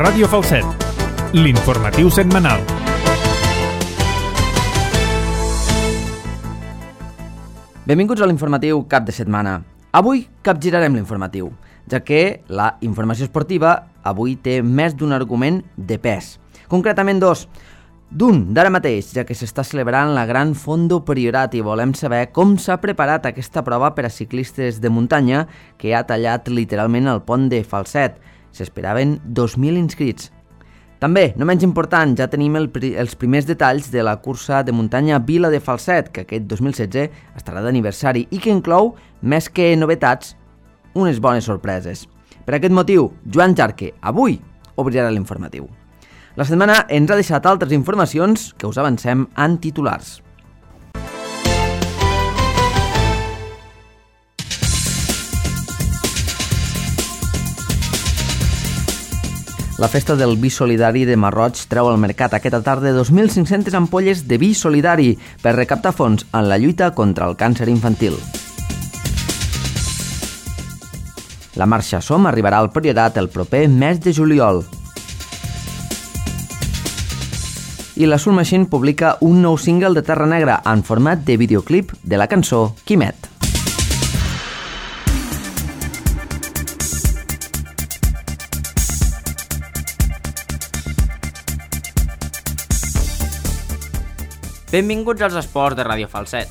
Ràdio Falset, l'informatiu setmanal. Benvinguts a l'informatiu cap de setmana. Avui capgirarem l'informatiu, ja que la informació esportiva avui té més d'un argument de pes. Concretament dos. D'un, d'ara mateix, ja que s'està celebrant la Gran Fondo Priorat i volem saber com s'ha preparat aquesta prova per a ciclistes de muntanya que ha tallat literalment el pont de Falset. S'esperaven 2.000 inscrits. També, no menys important, ja tenim els primers detalls de la cursa de muntanya Vila de Falset, que aquest 2016 estarà d'aniversari i que inclou, més que novetats, unes bones sorpreses. Per aquest motiu, Joan Jarque, avui, obrirà l'informatiu. La setmana ens ha deixat altres informacions que us avancem en titulars. La festa del vi solidari de Marroig treu al mercat aquesta tarda 2.500 ampolles de vi solidari per recaptar fons en la lluita contra el càncer infantil. La marxa Som arribarà al Priorat el proper mes de juliol. I la Soul Machine publica un nou single de Terra Negra en format de videoclip de la cançó Quimet. Benvinguts als esports de Ràdio Falset.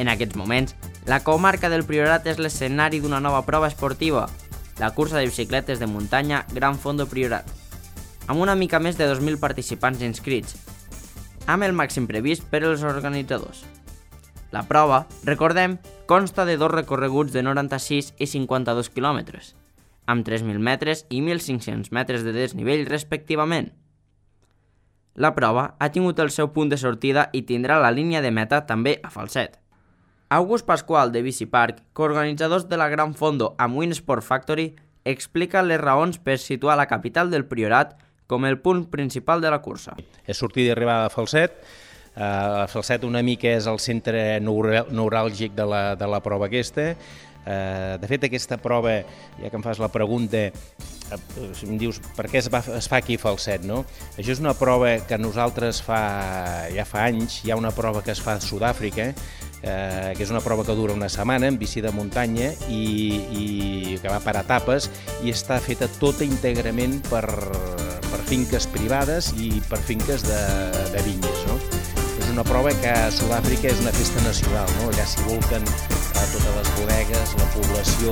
En aquests moments, la comarca del Priorat és l'escenari d'una nova prova esportiva, la cursa de bicicletes de muntanya Gran Fondo Priorat, amb una mica més de 2.000 participants inscrits, amb el màxim previst per als organitzadors. La prova, recordem, consta de dos recorreguts de 96 i 52 quilòmetres, amb 3.000 metres i 1.500 metres de desnivell respectivament. La prova ha tingut el seu punt de sortida i tindrà la línia de meta també a Falset. August Pasqual de Bicipark, coorganitzadors de la Gran Fondo amb Win Sport Factory, explica les raons per situar la capital del Priorat com el punt principal de la cursa. És sortida i arribada a Falset. Falset una mica és el centre neuràlgic de la prova aquesta. De fet, aquesta prova, ja que em fas la pregunta, em dius per què es fa aquí a Falset, no? Això és una prova que nosaltres ja fa anys, hi ha una prova que es fa a Sud-àfrica, que és una prova que dura una setmana en bici de muntanya i que va per etapes i està feta tota íntegrament per finques privades i per finques de vinyes, no? És una prova que a Sud-àfrica és una festa nacional, no? Allà s'hi volquen totes les bodegues, la població,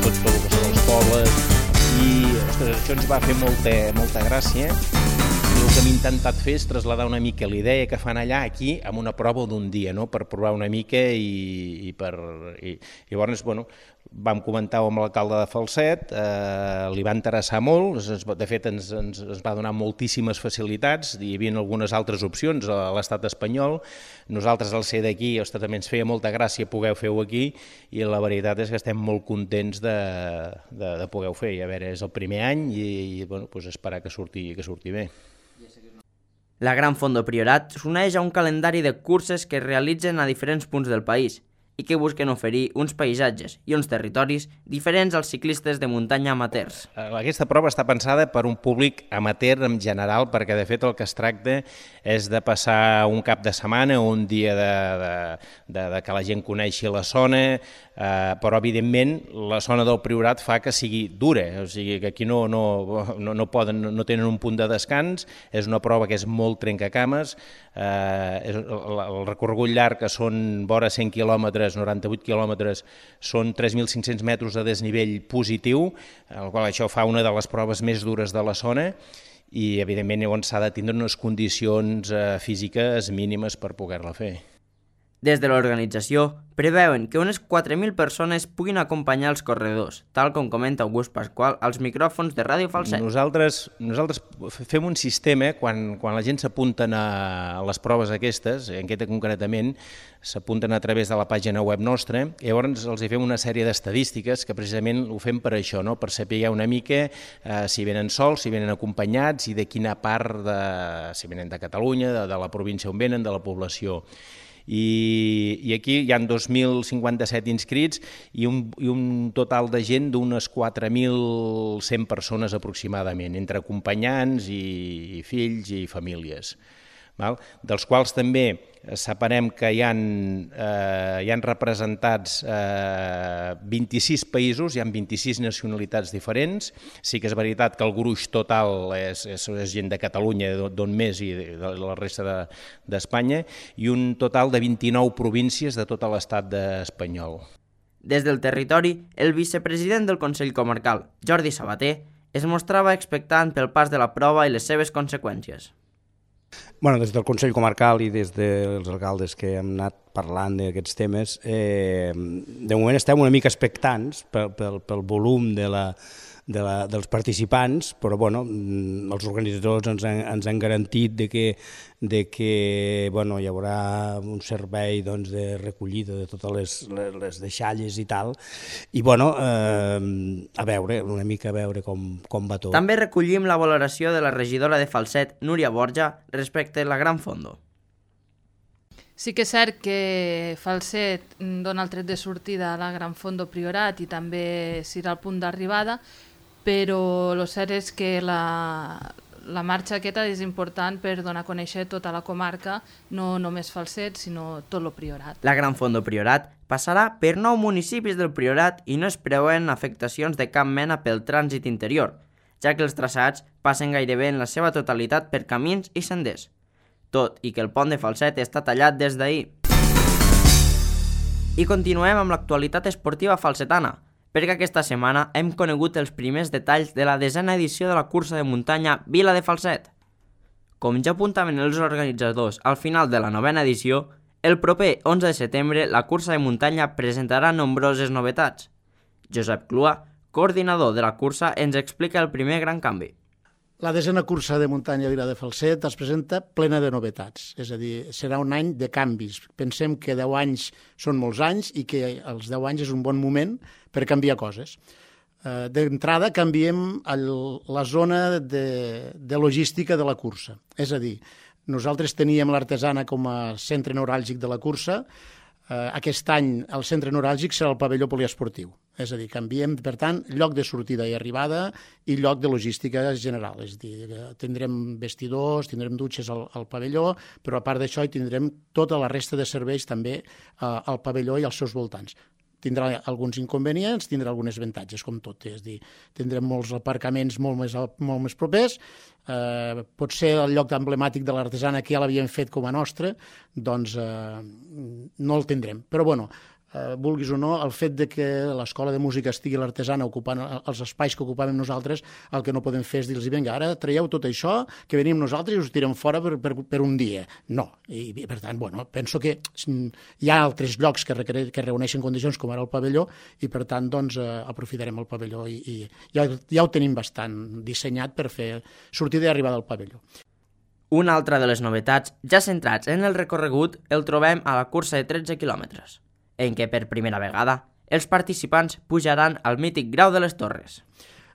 tot el que són els pobles i ostres, això ens va fer molta gràcia. I el que hem intentat fer és traslladar una mica la idea que fan allà aquí amb una prova d'un dia, no? Per provar una mica i llavors, bueno, vam comentar amb l'alcalde de Falset, li va interessar molt, de fet ens va donar moltíssimes facilitats, hi havia algunes altres opcions a l'estat espanyol, nosaltres al ser d'aquí, també ens feia molta gràcia poder-ho aquí i la veritat és que estem molt contents de poder-ho fer, i a veure, és el primer any i bueno, doncs esperar que surti bé. La Gran Fondo Priorat s'uneix a un calendari de curses que es realitzen a diferents punts del país i que busquen oferir uns paisatges i uns territoris diferents als ciclistes de muntanya amateurs. Aquesta prova està pensada per un públic amateur en general, perquè de fet el que es tracta és de passar un cap de setmana o un dia de que la gent coneixi la zona, però evidentment la zona del Priorat fa que sigui dura, o sigui que aquí no tenen un punt de descans, és una prova que és molt trencacames, el recorregut llarg que són vora 100 quilòmetres, 98 quilòmetres, són 3.500 metres de desnivell positiu, el qual això fa una de les proves més dures de la zona i evidentment s'ha de tindre unes condicions físiques mínimes per poder-la fer. Des de l'organització preveuen que unes 4.000 persones puguin acompanyar els corredors, tal com comenta August Pasqual als micròfons de Ràdio Falset. Nosaltres fem un sistema, quan la gent s'apunten a les proves aquestes, en aquesta concretament, s'apunten a través de la pàgina web nostra, i llavors els fem una sèrie d'estadístiques que precisament ho fem per això, no? Per saber una mica si venen sols, si venen acompanyats i de quina part, si venen de Catalunya, de la província on venen, de la població. I aquí hi ha 2.057 inscrits i un total de gent d'unes 4.100 persones aproximadament, entre acompanyants i fills i famílies. Dels quals també separem que hi han representats 26 països, hi ha 26 nacionalitats diferents. Sí que és veritat que el gruix total és gent de Catalunya, d'on més, i de la resta d'Espanya, i un total de 29 províncies de tot l'estat espanyol. Des del territori, el vicepresident del Consell Comarcal, Jordi Sabater, es mostrava expectant pel pas de la prova i les seves conseqüències. Des del Consell Comarcal i des dels alcaldes que hem anat parlant d'aquests temes, de moment estem una mica expectants pel volum dels participants, però els organitzadors ens han garantit de que hi haurà un servei de recollida de totes les deixalles i tal, i a veure com va tot. També recollim la valoració de la regidora de Falset, Núria Borja, respecte a la Gran Fondo. Sí que és cert que Falset dona el tret de sortida a la Gran Fondo Priorat i també serà el punt d'arribada, però el cert és que la marxa aquesta és important per donar a conèixer tota la comarca, no només Falset, sinó tot el Priorat. La Gran Fondo Priorat passarà per 9 municipis del Priorat i no es preveuen afectacions de cap mena pel trànsit interior, ja que els traçats passen gairebé en la seva totalitat per camins i senders, tot i que el pont de Falset està tallat des d'ahir. I continuem amb l'actualitat esportiva falsetana, perquè aquesta setmana hem conegut els primers detalls de la 10a edició de la cursa de muntanya Vila de Falset. Com ja apuntaven els organitzadors al final de la 9a edició, el proper 11 de setembre la cursa de muntanya presentarà nombroses novetats. Josep Clua, coordinador de la cursa, ens explica el primer gran canvi. La 10a cursa de muntanya Vila de Falset es presenta plena de novetats, és a dir, serà un any de canvis. Pensem que 10 anys són molts anys i que els 10 anys és un bon moment per canviar coses. D'entrada canviem la zona de logística de la cursa, és a dir, nosaltres teníem l'Artesana com a centre neuràlgic de la cursa. Aquest any el centre neuràlgic serà el pavelló poliesportiu, és a dir, canviem, per tant, lloc de sortida i arribada i lloc de logística general, és a dir, tindrem vestidors, tindrem dutxes al pavelló, però a part d'això hi tindrem tota la resta de serveis també al pavelló i als seus voltants. Tindrà alguns inconvenients, tindrà alguns avantatges, com tot, és a dir, tindrem molts aparcaments molt més propers, potser el lloc emblemàtic de l'Artesana que ja l'havíem fet com a nostre, doncs no el tindrem. Però bueno, vulguis o no, el fet de que l'escola de música estigui a l'Artesana ocupant els espais que ocupàvem nosaltres, el que no podem fer és dir-los, vinga, ara traieu tot això, que venim nosaltres i us tirem fora per un dia. No. I per tant, bueno, penso que hi ha altres llocs que reuneixen condicions, com ara el pavelló, i per tant, doncs, aprofitarem el pavelló i ja ho tenim bastant dissenyat per fer sortida i arribada al pavelló. Una altra de les novetats, ja centrats en el recorregut, el trobem a la cursa de 13 quilòmetres, en què per primera vegada els participants pujaran al mític Grau de les Torres.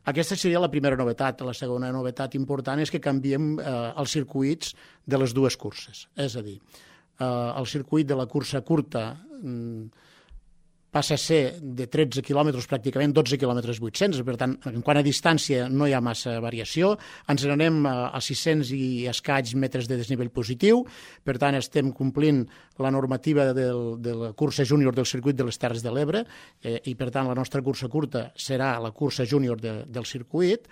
Aquesta seria la primera novetat. La segona novetat important és que canviem els circuits de les dues curses. És a dir, el circuit de la cursa curta passa a ser de 13 quilòmetres, pràcticament 12 quilòmetres 800, per tant, en quant a distància no hi ha massa variació, ens n'anem a 600 i escaig metres de desnivell positiu, per tant, estem complint la normativa de la cursa júnior del circuit de les Terres de l'Ebre, i per tant, la nostra cursa curta serà la cursa júnior del circuit,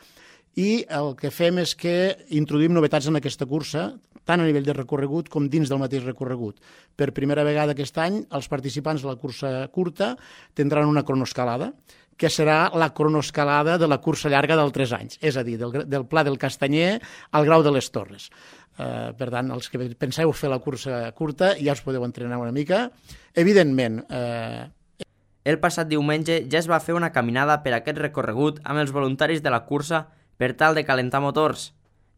i el que fem és que introduïm novetats en aquesta cursa, tant a nivell de recorregut com dins del mateix recorregut. Per primera vegada aquest any, els participants de la cursa curta tindran una cronoescalada, que serà la cronoescalada de la cursa llarga del 3 anys, és a dir, del Pla del Castanyer al Grau de les Torres. Per tant, els que penseu fer la cursa curta ja us podeu entrenar una mica. Evidentment, el passat diumenge ja es va fer una caminada per aquest recorregut amb els voluntaris de la cursa per tal de calentar motors.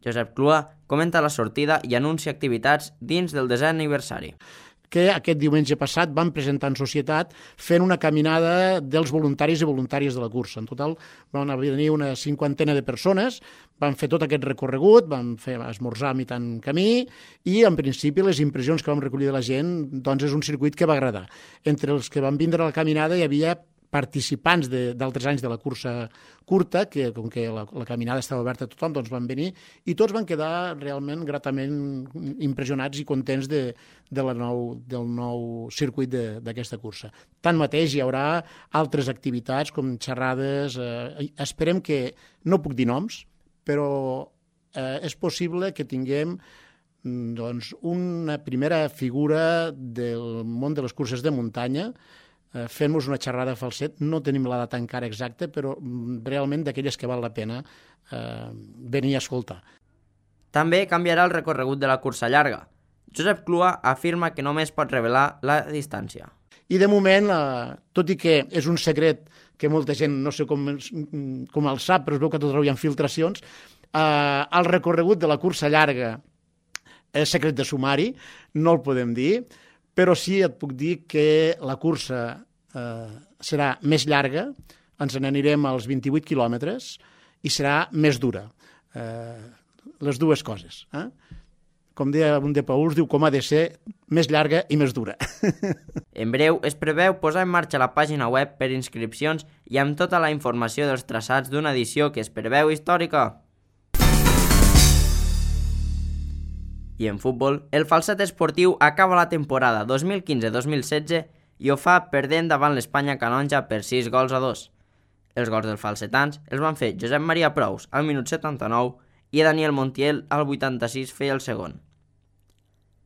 Josep Clua comenta la sortida i anuncia activitats dins del 10è aniversari. que aquest diumenge passat van presentar en societat fent una caminada dels voluntaris i voluntàries de la cursa. En total van venir una 50 de persones, van fer tot aquest recorregut, van fer esmorzar a mitjan camí i, en principi, les impressions que vam recollir de la gent, doncs és un circuit que va agradar. Entre els que van vindre a la caminada hi havia participants d'altres anys de la cursa curta, que com que la caminada estava oberta a tothom, doncs van venir i tots van quedar realment gratament impressionats i contents del nou circuit d'aquesta cursa. Tanmateix, hi haurà altres activitats com xerrades. Esperem que, no puc dir noms, però és possible que tinguem doncs, una primera figura del món de les curses de muntanya fent-nos una xerrada a Falset. No tenim la data encara exacta, però realment d'aquelles que val la pena venir a escoltar. També canviarà el recorregut de la cursa llarga. Josep Clua afirma que només pot revelar la distància. I de moment, tot i que és un secret que molta gent no sé com el sap, però es veu que tot arreu hi ha filtracions, el recorregut de la cursa llarga és secret de sumari, no el podem dir, però sí et puc dir que la cursa serà més llarga, ens n'anirem als 28 quilòmetres i serà més dura. Les dues coses. Com deia un de Pauls, diu com ha de ser més llarga i més dura. En breu es preveu posar en marxa la pàgina web per inscripcions i amb tota la informació dels traçats d'una edició que es preveu històrica. I en futbol, el Falset Esportiu acaba la temporada 2015-2016 i ho fa perdent davant l'Espanya Canonja per 6-2. Els gols dels falsetans els van fer Josep Maria Prous al minut 79 i Daniel Montiel al 86 feia el segon.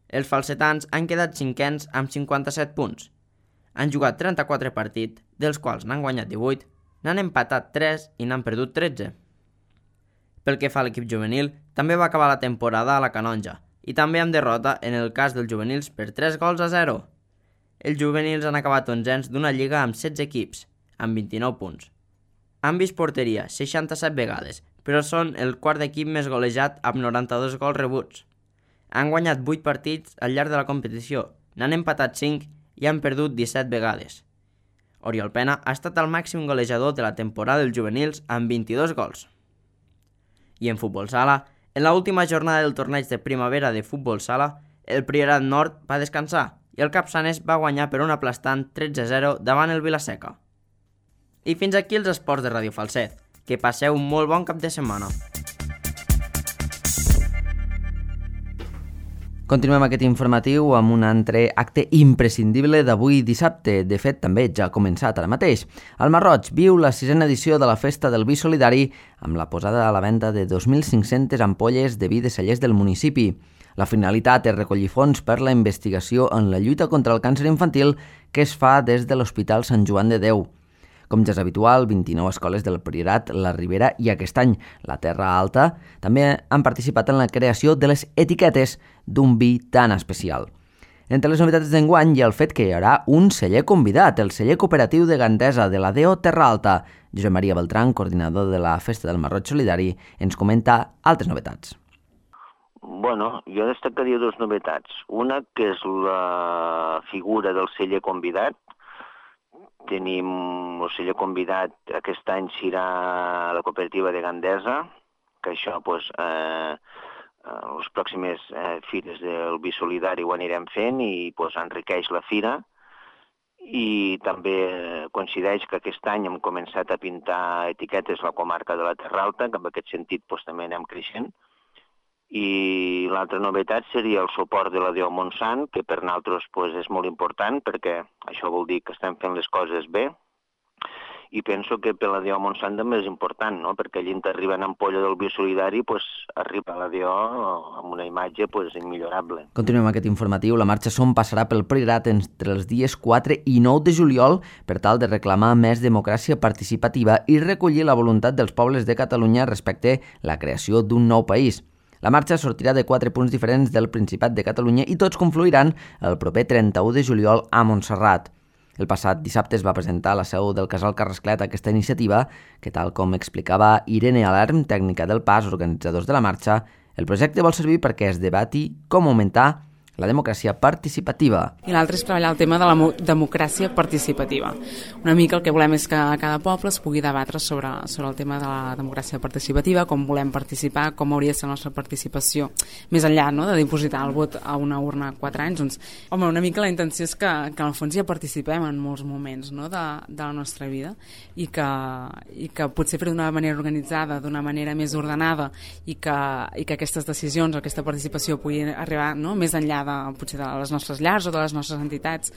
Els falsetans han quedat cinquens amb 57 punts. Han jugat 34 partits, dels quals n'han guanyat 18, n'han empatat 3 i n'han perdut 13. Pel que fa a l'equip juvenil, també va acabar la temporada a la Canonja, i també amb derrota en el cas dels juvenils per 3-0. Els juvenils han acabat 11ens d'una lliga amb 16 equips, amb 29 punts. Han vist porteria 67 vegades, però són el quart equip més golejat amb 92 gols rebuts. Han guanyat 8 partits al llarg de la competició, n'han empatat 5 i han perdut 17 vegades. Oriol Pena ha estat el màxim golejador de la temporada dels juvenils amb 22 gols. I en futbol sala, en l'última jornada del torneig de primavera de futbol sala, el Priorat Nord va descansar i el Capçanes va guanyar per un aplastant 13-0 davant el Vilaseca. I fins aquí els esports de Ràdio Falset. Que passeu un molt bon cap de setmana. Continuem aquest informatiu amb un altre acte imprescindible d'avui dissabte. De fet, també ja ha començat ara mateix. El Marroig viu la 6a edició de la Festa del Vi Solidari amb la posada a la venda de 2.500 ampolles de vi de cellers del municipi. La finalitat és recollir fons per la investigació en la lluita contra el càncer infantil que es fa des de l'Hospital Sant Joan de Déu. Com ja és habitual, 29 escoles del Priorat, la Ribera i aquest any la Terra Alta també han participat en la creació de les etiquetes d'un vi tan especial. Entre les novetats d'enguany hi ha el fet que hi haurà un celler convidat, el celler cooperatiu de Gandesa de la DEO Terra Alta. Josep Maria Beltrán, coordinador de la Festa del Marroig Solidari, ens comenta altres novetats. Bueno, jo destacaria dues novetats. Una, que és la figura del celler convidat. Tenim el celler convidat, aquest any serà la cooperativa de Gandesa, que això, les pròximes fires del Vi Solidari ho anirem fent i enriqueix la fira. I també coincideix que aquest any hem començat a pintar etiquetes a la comarca de la Terra Alta, que en aquest sentit també anem creixent. I l'altra novetat seria el suport de la DEO Montsant, que per nosaltres és molt important, perquè això vol dir que estem fent les coses bé. I penso que per la DEO Montsant també és important, no? Perquè allí arriba una ampolla del Vi Solidari, arriba a la DEO amb una imatge immillorable. Continuem aquest informatiu. La marxa Som passarà pel Priorat entre els dies 4 i 9 de juliol per tal de reclamar més democràcia participativa i recollir la voluntat dels pobles de Catalunya respecte a la creació d'un nou país. La marxa sortirà de 4 punts diferents del Principat de Catalunya i tots confluiran el proper 31 de juliol a Montserrat. El passat dissabte es va presentar a la seu del Casal Carrasclet aquesta iniciativa que, tal com explicava Irene Alarm, tècnica del PAS, organitzadors de la marxa, el projecte vol servir perquè es debati com augmentar la democràcia participativa. I l'altre és treballar el tema de la democràcia participativa. Una mica el que volem és que cada poble es pugui debatre sobre el tema de la democràcia participativa, com volem participar, com hauria de ser la nostra participació, més enllà, no?, de dipositar el vot a una urna 4 anys. Doncs, home, una mica la intenció és que en el fons ja participem en molts moments, no?, de la nostra vida i que potser fer d'una manera organitzada, d'una manera més ordenada i que aquestes decisions, aquesta participació pugui arribar, no?, més enllà potser de les nostres llars o de les nostres entitats.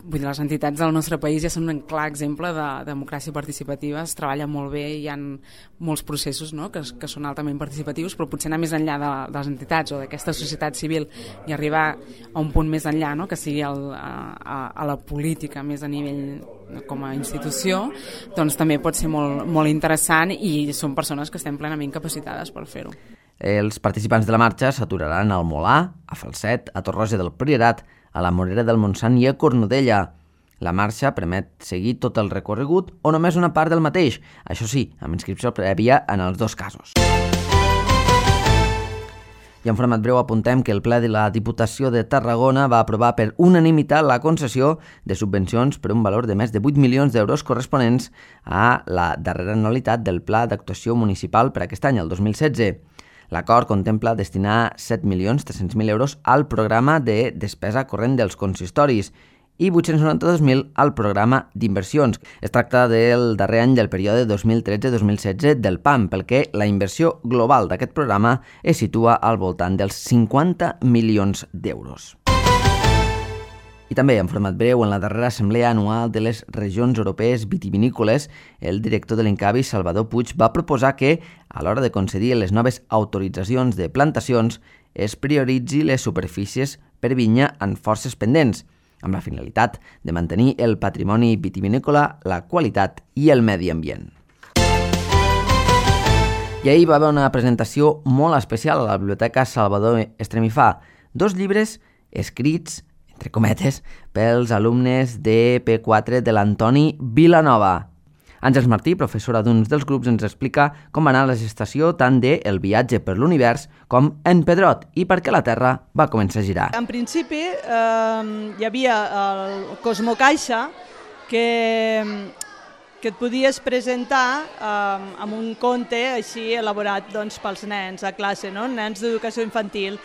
Vull dir, les entitats del nostre país ja són un clar exemple de democràcia participativa, es treballa molt bé, hi ha molts processos, no?, que són altament participatius, però potser anar més enllà de les entitats o d'aquesta societat civil i arribar a un punt més enllà, no?, que sigui a la política més a nivell com a institució, doncs també pot ser molt, molt interessant i són persones que estem plenament capacitades per fer-ho. Els participants de la marxa s'aturaran al Molà, a Falset, a Torroja del Priorat, a la Morera del Montsant i a Cornudella. La marxa permet seguir tot el recorregut o només una part del mateix, això sí, amb inscripció prèvia en els dos casos. I en format breu apuntem que el ple de la Diputació de Tarragona va aprovar per unanimitat la concessió de subvencions per un valor de més de 8 milions d'euros corresponents a la darrera anualitat del Pla d'Actuació Municipal per aquest any, el 2016. L'acord contempla destinar 7.300.000 euros al programa de despesa corrent dels consistoris i 892.000 al programa d'inversions. Es tracta del darrer any del període 2013-2016 del PAM, pel que la inversió global d'aquest programa es situa al voltant dels 50 milions d'euros. I també, en format breu, en la darrera assemblea anual de les regions europees vitivinícoles, el director de l'Incavi, Salvador Puig, va proposar que, a l'hora de concedir les noves autoritzacions de plantacions, es prioritzi les superfícies per vinya en forces pendents, amb la finalitat de mantenir el patrimoni vitivinícola, la qualitat i el medi ambient. I ahir va haver una presentació molt especial a la Biblioteca Salvador Estremifà, 2 llibres escrits, entre cometes, pels alumnes de P4 de l'Antoni Vilanova. Àngels Martí, professora d'un dels grups, ens explica com va anar la gestació tant de El viatge per l'univers com En Pedrot i per què la Terra va començar a girar. En principi hi havia el Cosmocaixa que et podies presentar amb un conte així elaborat doncs, pels nens a classe, no? Nens d'educació infantil.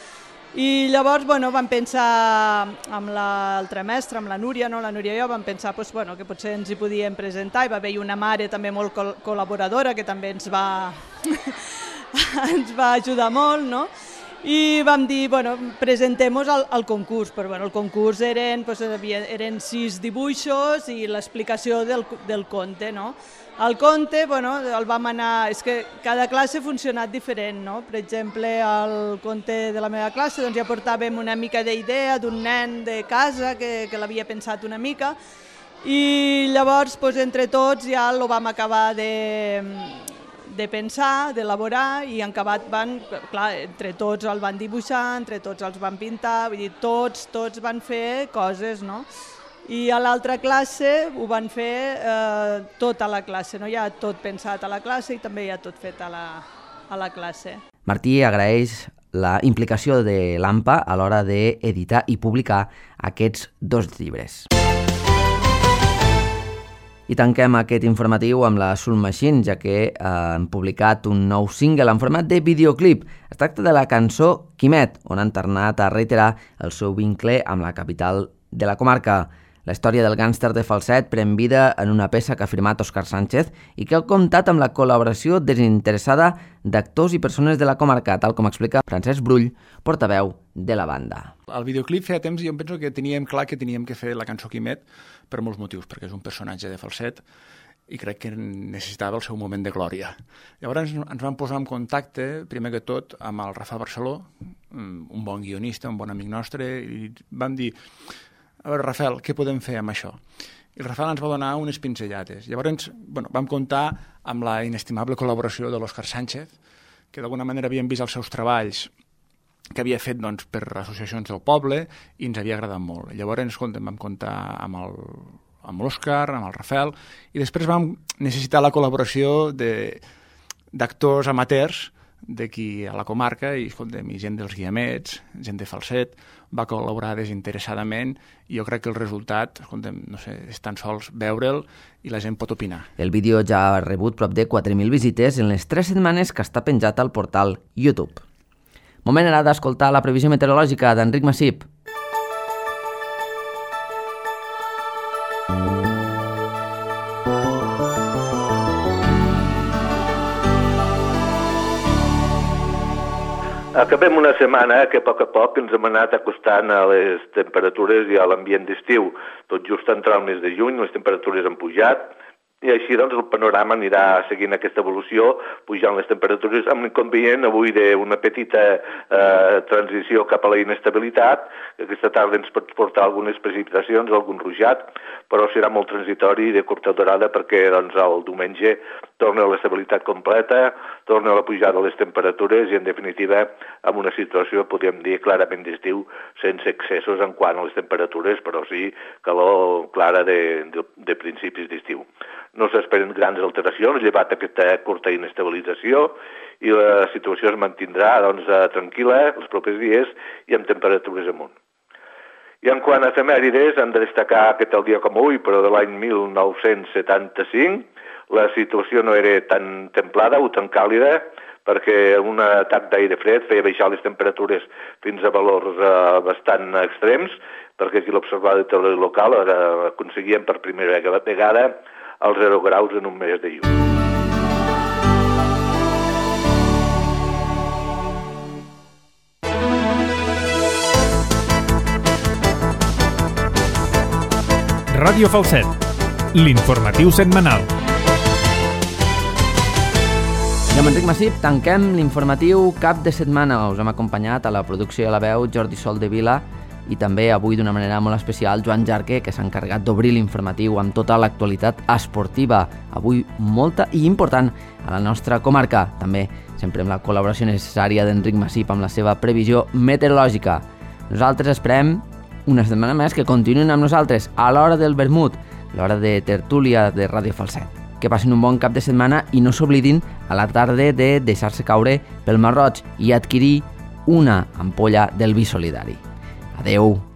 I llavors vam pensar amb l'altra mestra, amb la Núria, no? La Núria i jo vam pensar que potser ens hi podíem presentar. Hi va haver una mare també molt col·laboradora que també ens va ajudar molt, no? I vam dir, presentem-nos al concurs, però el concurs eren 6 dibuixos i l'explicació del conte, no? El conte, el vam anar... És que cada classe ha funcionat diferent, no? Per exemple, el conte de la meva classe ja portàvem una mica d'idea d'un nen de casa que l'havia pensat una mica i llavors, entre tots, ja el vam acabar de pensar, d'elaborar i en acabat entre tots el van dibuixar, entre tots els van pintar, vull dir, tots van fer coses, no? I a l'altra classe ho van fer tota la classe, no? Hi ha tot pensat a la classe i també hi ha tot fet a la classe. Martí agraeix la implicació de l'AMPA a l'hora d'editar i publicar aquests 2 llibres. I tanquem aquest informatiu amb la Soul Machine, ja que han publicat un nou single en format de videoclip. Es tracta de la cançó Quimet, on han tornat a reiterar el seu vincle amb la capital de la comarca. La història del gàngster de Falset pren vida en una peça que ha firmat Òscar Sánchez i que ha comptat amb la col·laboració desinteressada d'actors i persones de la comarca, tal com explica Francesc Brull, portaveu de la banda. El videoclip feia temps i jo penso que teníem clar que teníem que fer la cançó Quimet per molts motius, perquè és un personatge de Falset i crec que necessitava el seu moment de glòria. Llavors ens vam posar en contacte, primer que tot, amb el Rafa Barceló, un bon guionista, un bon amic nostre, i vam dir: a veure, Rafael, què podem fer amb això? I el Rafael ens va donar unes pinzellades. Llavors vam comptar amb la inestimable col·laboració de l'Òscar Sánchez, que d'alguna manera havíem vist els seus treballs que havia fet per associacions del poble i ens havia agradat molt. Llavors vam comptar amb l'Òscar, amb el Rafael, i després vam necessitar la col·laboració d'actors amateurs d'aquí a la comarca i, escolta'm, gent dels Guiamets, gent de Falset, va col·laborar desinteressadament i jo crec que el resultat, escolta'm, no sé, és tan sols veure'l i la gent pot opinar. El vídeo ja ha rebut prop de 4.000 visites en les 3 setmanes que està penjat al portal YouTube. Moment ara d'escoltar la previsió meteorològica d'Enric Massip. Acabem una setmana que a poc ens hem anat acostant a les temperatures i a l'ambient d'estiu. Tot just a entrar al mes de juny, les temperatures han pujat, i així doncs el panorama anirà seguint aquesta evolució, pujant les temperatures, amb l'inconvenient avui d'una petita transició cap a la inestabilitat, que aquesta tarda ens pot portar algunes precipitacions, algun ruixat, però serà molt transitori i de curta durada perquè doncs, el diumenge torna a l'estabilitat completa, torna a la pujada de les temperatures i en definitiva amb una situació, podríem dir, clarament d'estiu, sense excessos en quant a les temperatures, però sí calor clara de principis d'estiu. No s'esperen grans alteracions, llevat aquesta curta inestabilització, i la situació es mantindrà doncs, tranquil·la els propers dies i amb temperatures amunt. I en quant a efemèrides, hem de destacar que tal dia com avui, però de l'any 1975, la situació no era tan templada o tan càlida, perquè un atac d'aire fred feia baixar les temperatures fins a valors bastant extrems, perquè aquí l'observatori local aconseguien per primera vegada els 0 graus en un mes de juny. Ràdio Falset, l'informatiu setmanal. I amb Enric Massip tanquem l'informatiu cap de setmana. Us hem acompanyat a la producció i a la veu Jordi Soldevila i també avui d'una manera molt especial Joan Jarque, que s'ha encarregat d'obrir l'informatiu amb tota l'actualitat esportiva, avui molta i important a la nostra comarca. També sempre amb la col·laboració necessària d'Enric Massip amb la seva previsió meteorològica. Nosaltres esperem una setmana més que continuïn amb nosaltres a l'hora del vermut, l'hora de tertúlia de Ràdio Falset. Que passin un bon cap de setmana i no s'oblidin a la tarda de deixar-se caure pel Mar Roig i adquirir una ampolla del vi solidari. Adeu.